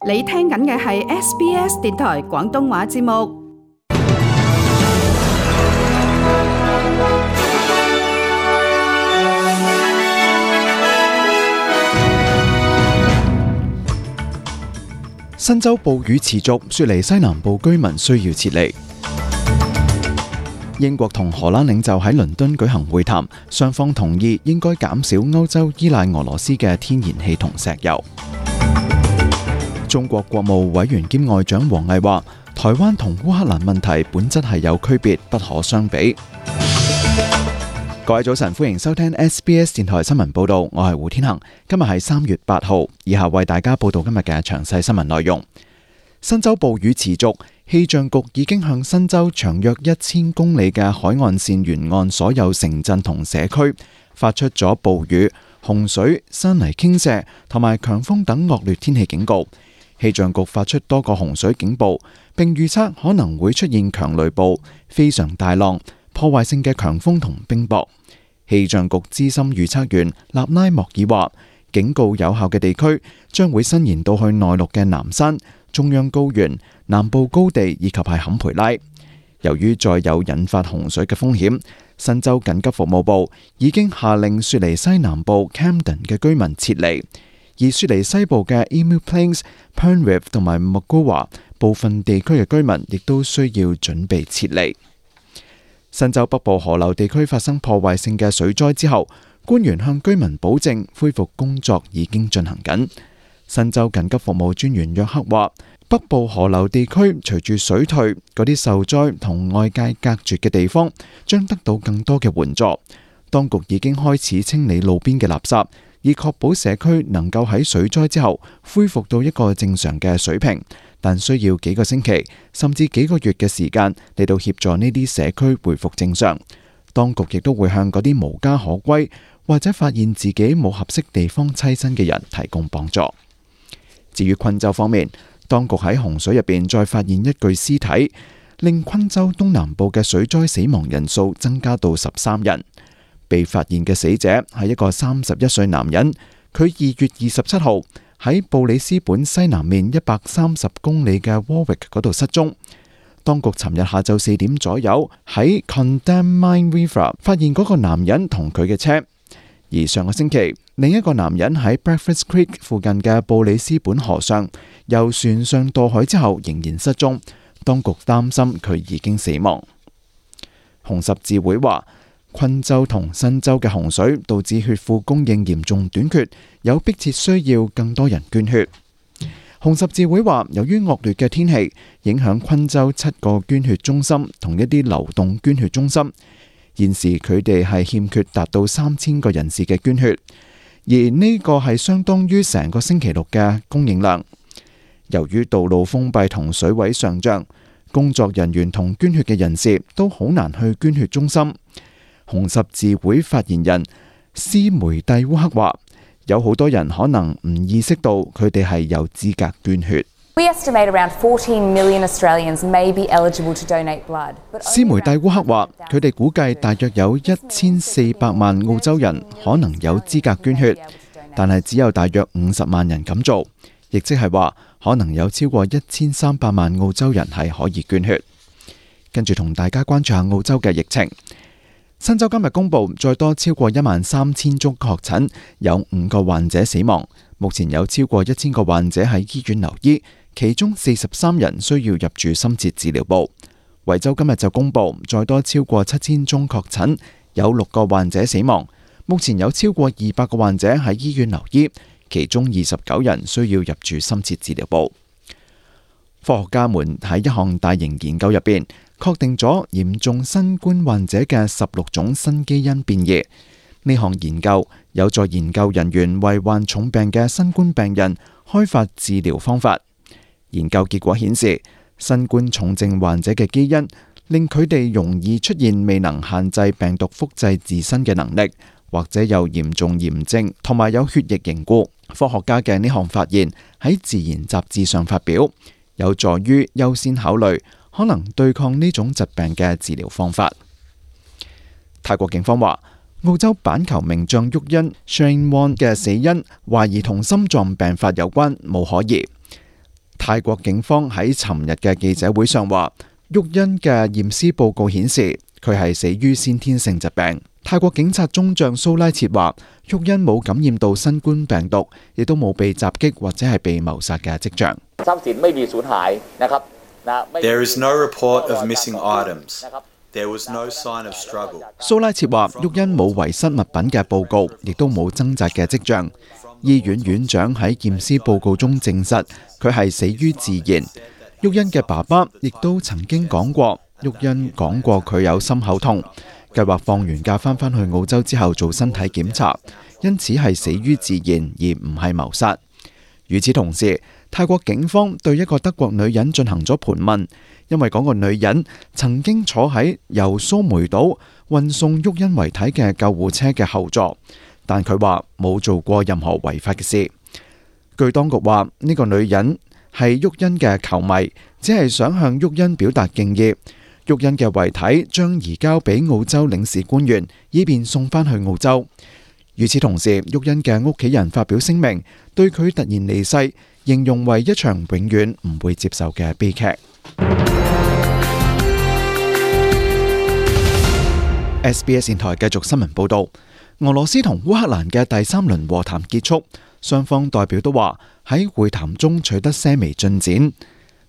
你聽緊嘅係 SBS 電台廣東話節目。新州暴雨持續，雪梨西南部居民需要撤離。英國同荷蘭領袖喺倫敦舉行會談，雙方同意應該減少歐洲依賴俄羅斯嘅天然氣同石油。中國國務委員兼外長王毅話，台灣同烏克蘭問題本質係有區別，不可相比。各位早晨，歡迎收聽 SBS 電台新聞報道，我係胡天恒。今日係3月8號，以下為大家報道今日嘅詳細新聞內容。新州暴雨持續，氣象局已經向新州長約1000公里嘅海岸線沿岸所有城鎮同社區發出咗暴雨、洪水、山泥傾瀉同埋強風等惡劣天氣警告。氣象局發出多個洪水警報，並預測可能會出現強雷暴、非常大浪、破壞性嘅強風同冰雹。氣象局資深預測員納拉莫爾話，警告有效嘅地區將會伸延到去內陸嘅南山、中央高原、南部高地以及係坎培拉。由於再有引發洪水嘅風險，新州緊急服務部已經下令雪梨西南部 Camden 嘅居民撤離，而雪梨西部嘅 Emu Plains、Penrith 同埋 Mogowa 部分地區嘅居民亦都需要準備撤離。新州北部河流地區發生破壞性嘅水災之後，官員向居民保證恢復工作已經進行緊。新州緊急服務專員約克話，北部河流地區隨住水退，嗰啲受災同外界隔絕嘅地方將得到更多嘅援助。當局已經開始清理路邊嘅垃圾，以確保社區能夠喺水災之後恢復到一個正常嘅水平，但需要幾個星期甚至幾個月嘅時間嚟到協助呢啲社區恢復正常。當局亦都會向嗰啲無家可歸或者發現自己冇合適地方棲身嘅人提供幫助。至於昆州方面，當局喺洪水入邊再發現一具屍體，令昆州東南部嘅水災死亡人數增加到13人。被發現嘅死者係一個31歲男人，佢2月27號喺布里斯本西南面130公里嘅 Warwick 嗰度失蹤。當局尋日下晝4點左右喺 Condamine River 發現嗰個男人同佢嘅車，而上個星期另一個男人喺 Breakfast Creek 附近嘅布里斯本河上由船上墮海之後仍然失蹤，當局擔心佢已經死亡。紅十字會話，昆州同新州嘅洪水導致血庫供應嚴重短缺，有迫切需要更多人捐血。紅十字會話，由於惡劣嘅天氣影響昆州7個捐血中心同一啲流動捐血中心，現時佢哋係欠缺達到3000個人士嘅捐血，而呢個係相當於成個星期六嘅供應量。由於道路封閉同水位上漲，工作人員同捐血嘅人士都好難去捐血中心。紅十字會發言人斯梅蒂烏克話，有好多人可能唔意識到佢哋係有資格捐血。斯梅蒂烏克話，佢哋估計大約有1400萬澳洲人可能有資格捐血，但係只有大約50萬人咁做，亦即係話可能有超過1300萬澳洲人係可以捐血。跟住同大家關注下澳洲嘅疫情。新州今日公布再多超過13000宗確診，有5個患者死亡。目前有超過1000個患者喺醫院留醫，其中43人需要入住深切治療部。維州今日就公布再多超過7000宗確診，有6個患者死亡。目前有超過200個患者喺醫院留醫，其中29人需要入住深切治療部。科學家們喺一項大型研究入邊確定咗嚴重新冠患者嘅16種新基因變異。呢項研究有助研究人員為患重病嘅新冠病人開發治療方法。研究結果顯示，新冠重症患者嘅基因令佢哋容易出現未能限制病毒複製自身嘅能力，或者有嚴重炎症同埋有血液凝固。科學家嘅呢項發現喺《自然》雜誌上發表，有助於優先考慮可能對抗呢種疾病嘅治療方法。泰國警方話，澳洲板球名將沃恩 Shane Warne 嘅死因懷疑同心臟病發有關，冇可疑。泰國警方喺尋日嘅記者會上話，沃恩嘅驗屍報告顯示佢係死於先天性疾病。泰國警察中將蘇拉切話，沃恩冇感染到新冠病毒，亦都冇被襲擊或者係被謀殺嘅跡象。There is no report of missing items. There was no sign of struggle. 蘇拉切話，沃恩冇遺失物品嘅報告，亦都冇掙扎嘅跡象。醫院院長喺驗屍報告中證實佢係死於自然。沃恩嘅爸爸亦都曾經講過，沃恩講過佢有心口痛，計劃放完假返去澳洲之後做身體檢查，因此係死於自然而唔係謀殺。與此同時，泰國警方對一個德國女人進行咗盤問，因為嗰個女人曾經坐喺由蘇梅島運送沃恩遺體嘅救護車嘅後座，但佢話冇做過任何違法嘅事。據當局話，呢個女人係沃恩嘅球迷，只係想向沃恩表達敬意。沃恩嘅遺體將移交俾澳洲領事官員，以便送返去澳洲。與此同時，沃恩嘅屋企人發表聲明，對佢突然離世形容為一場永遠唔會接受嘅悲劇。SBS 電台繼續新聞報道，俄羅斯同烏克蘭嘅第3輪和談結束，雙方代表都話喺會談中取得些微進展。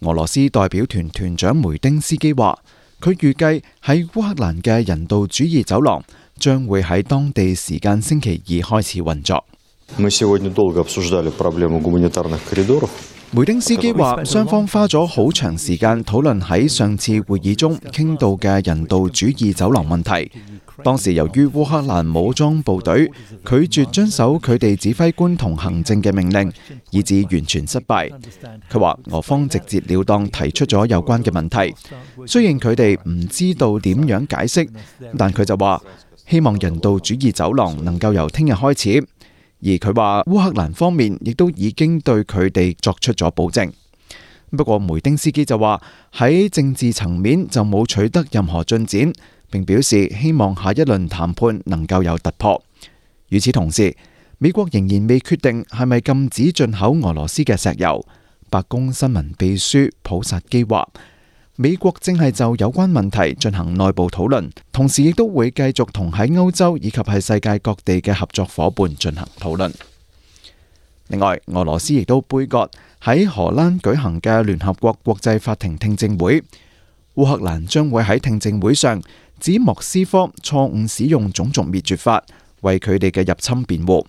俄羅斯代表團團長梅丁斯基話，佢預計喺烏克蘭嘅人道主義走廊將會喺當地時間星期2開始運作。梅丁斯基話，雙方花咗好長時間討論喺上次會議中傾到嘅人道主義走廊問題。當時由於烏克蘭武裝部隊拒絕遵守佢哋指揮官同行政嘅命令，以致完全失敗。佢話俄方直截了當提出咗有關嘅問題，雖然佢哋唔知道點樣解釋，但佢就話希望人道主義走廊能夠由聽日開始。而佢話烏克蘭方面亦都已經對佢哋作出咗保證。不過梅丁斯基就話喺政治層面就冇取得任何進展，並表示希望下一輪談判能夠有突破。與此同時，美國仍然未決定係咪禁止進口俄羅斯嘅石油。白宮新聞秘書普薩基話，美國正係就有關問題進行內部討論，同時亦都會繼續同喺歐洲以及係世界各地嘅合作夥伴進行討論。另外，俄羅斯亦都杯葛喺荷蘭舉行嘅聯合國國際法庭聽證會。烏克蘭將會喺聽證會上指莫斯科錯誤使用種族滅絕法為佢哋嘅入侵辯護。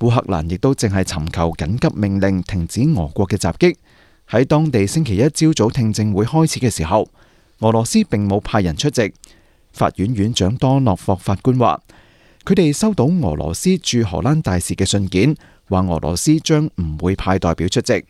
烏克蘭亦都正係尋求緊急命令停止俄國嘅襲擊。喺當地星期一朝早聽證會開始嘅時候，俄羅斯並冇派人出席。法院院長多諾霍法官話，佢哋收到俄羅斯駐荷蘭大使嘅信件，話俄羅斯將唔會派代表出席。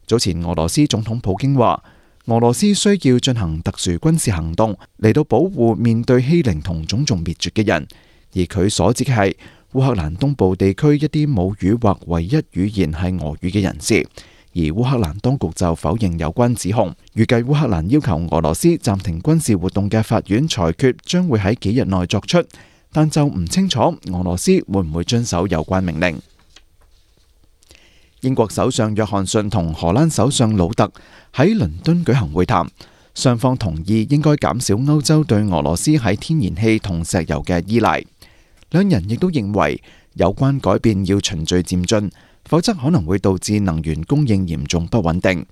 早前俄羅斯總統普京話，俄羅斯需要進行特殊軍事行動嚟到保護面對欺凌同種族滅絕嘅人，而佢所指嘅係烏克蘭東部地區一啲母語或唯一語言係俄語嘅人士。而烏克蘭當局就否認有關指控，預計烏克蘭要求俄羅斯暫停軍事活動嘅法院裁決將會喺幾日內作出，但就唔清楚俄羅斯會唔會遵守有關命令。英國首相約翰遜同荷蘭首相魯特喺倫敦舉行會談，雙方同意應該減少歐洲對俄羅斯喺天然氣同石油嘅依賴。兩人亦都認為有關改變要循序漸進，否則可能會導致能源供應嚴重不穩定。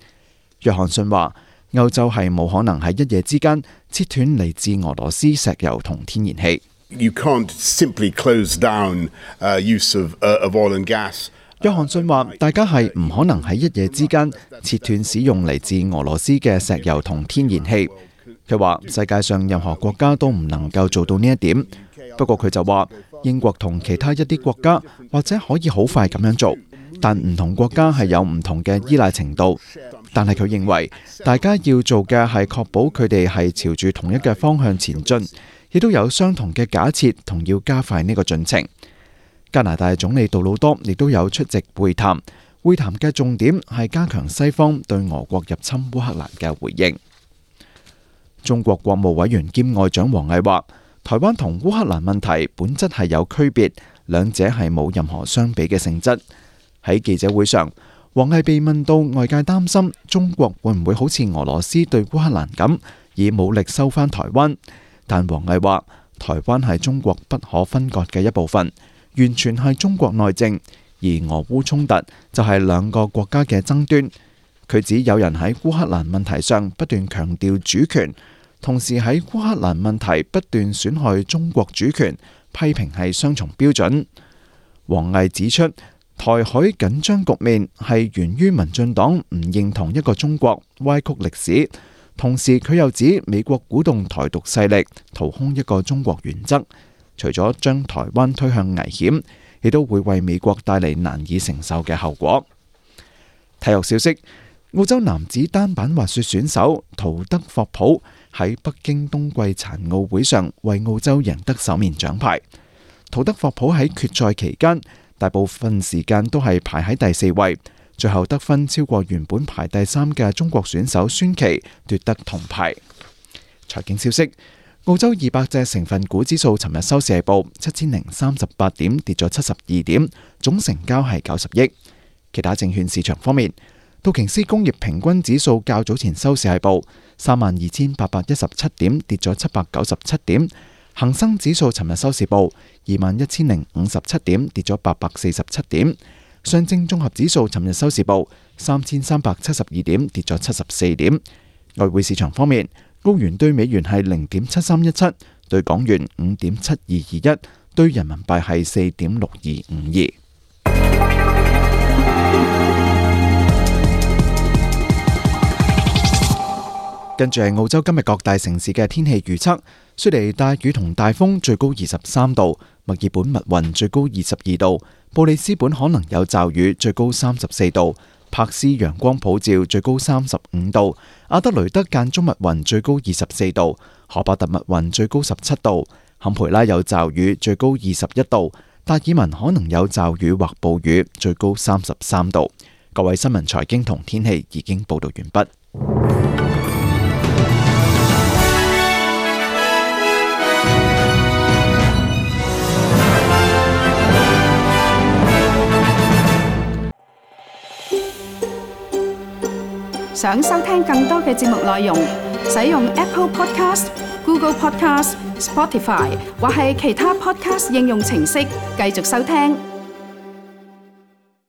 約翰遜話，歐洲係冇可能喺一夜之間切斷嚟自俄羅斯石油同天然氣。You can't simply close down use of oil and gas. 約翰遜話，大家係唔可能喺一夜之間切斷使用嚟自俄羅斯嘅石油同天然氣。佢話世界上任何國家都唔能夠做到呢一點。不過佢就話，英國同其他一啲國家或者可以好快咁樣做。但唔同國家係有唔同嘅依賴程度，但係佢認為大家要做嘅係確保佢哋係朝住同一嘅方向前進，亦都有相同嘅假設同要加快呢個進程。加拿大總理杜魯多亦都有出席會談，會談嘅重點係加強西方對俄國入侵烏克蘭嘅回應。中國國務委員兼外長王毅話，台灣同烏克蘭問題本質係有區別，兩者係冇任何相比嘅性質。喺記者會上，王毅被問到外界擔心中國會唔會好似俄羅斯對烏克蘭咁，以武力收返台灣，但王毅話台灣係中國不可分割嘅一部分，完全係中國內政，而俄烏衝突就係兩個國家嘅爭端。佢指有人喺烏克蘭問題上不斷強調主權，同時喺烏克蘭問題不斷損害中國主權，批評係雙重標準。王毅指出，台海緊張局面係源於民進黨唔認同一個中國，歪曲歷史。同時佢又指美國鼓動台獨勢力掏空一個中國原則，除咗將台灣推向危險，亦都會為美國帶嚟難以承受嘅後果。體育消息，澳洲男子單板滑雪選手陶德霍普喺北京冬季殘奧會上為澳洲贏得首面獎牌。陶德霍普喺決賽期間大部分時間都係排喺第4位，最後得分超過原本排第3嘅中國選手孫琦，奪得銅牌。財經消息，澳洲200隻成分股指數尋日收市係報7038點，跌咗72點，總成交係90億。其他證券市場方面，道瓊斯工業平均指數較早前收市係報32,817點，跌咗797點。恒生指數尋日收市報21,057點，跌咗847點。上證綜合指數尋日收市報3,372點，跌咗74點。外匯市場方面，澳元對美元係0.7317，對港元5.7221，對人民幣係4.6252。跟住係澳洲今日各大城市嘅天氣預測。雪梨大雨同大風，最高23度；墨爾本密雲，最高22度；布里斯本可能有驟雨，最高34度；柏斯陽光普照，最高35度；阿德雷德間中密雲，最高24度；荷伯特密雲，最高17度；坎培拉有驟雨，最高21度；達爾文可能有驟雨或暴雨，最高33度。各位新聞財經同天氣已經報道完畢。想收聽更多嘅節目內容，使用 Apple Podcast、Google Podcast、Spotify 或係其他 Podcast 應用程式繼續收聽。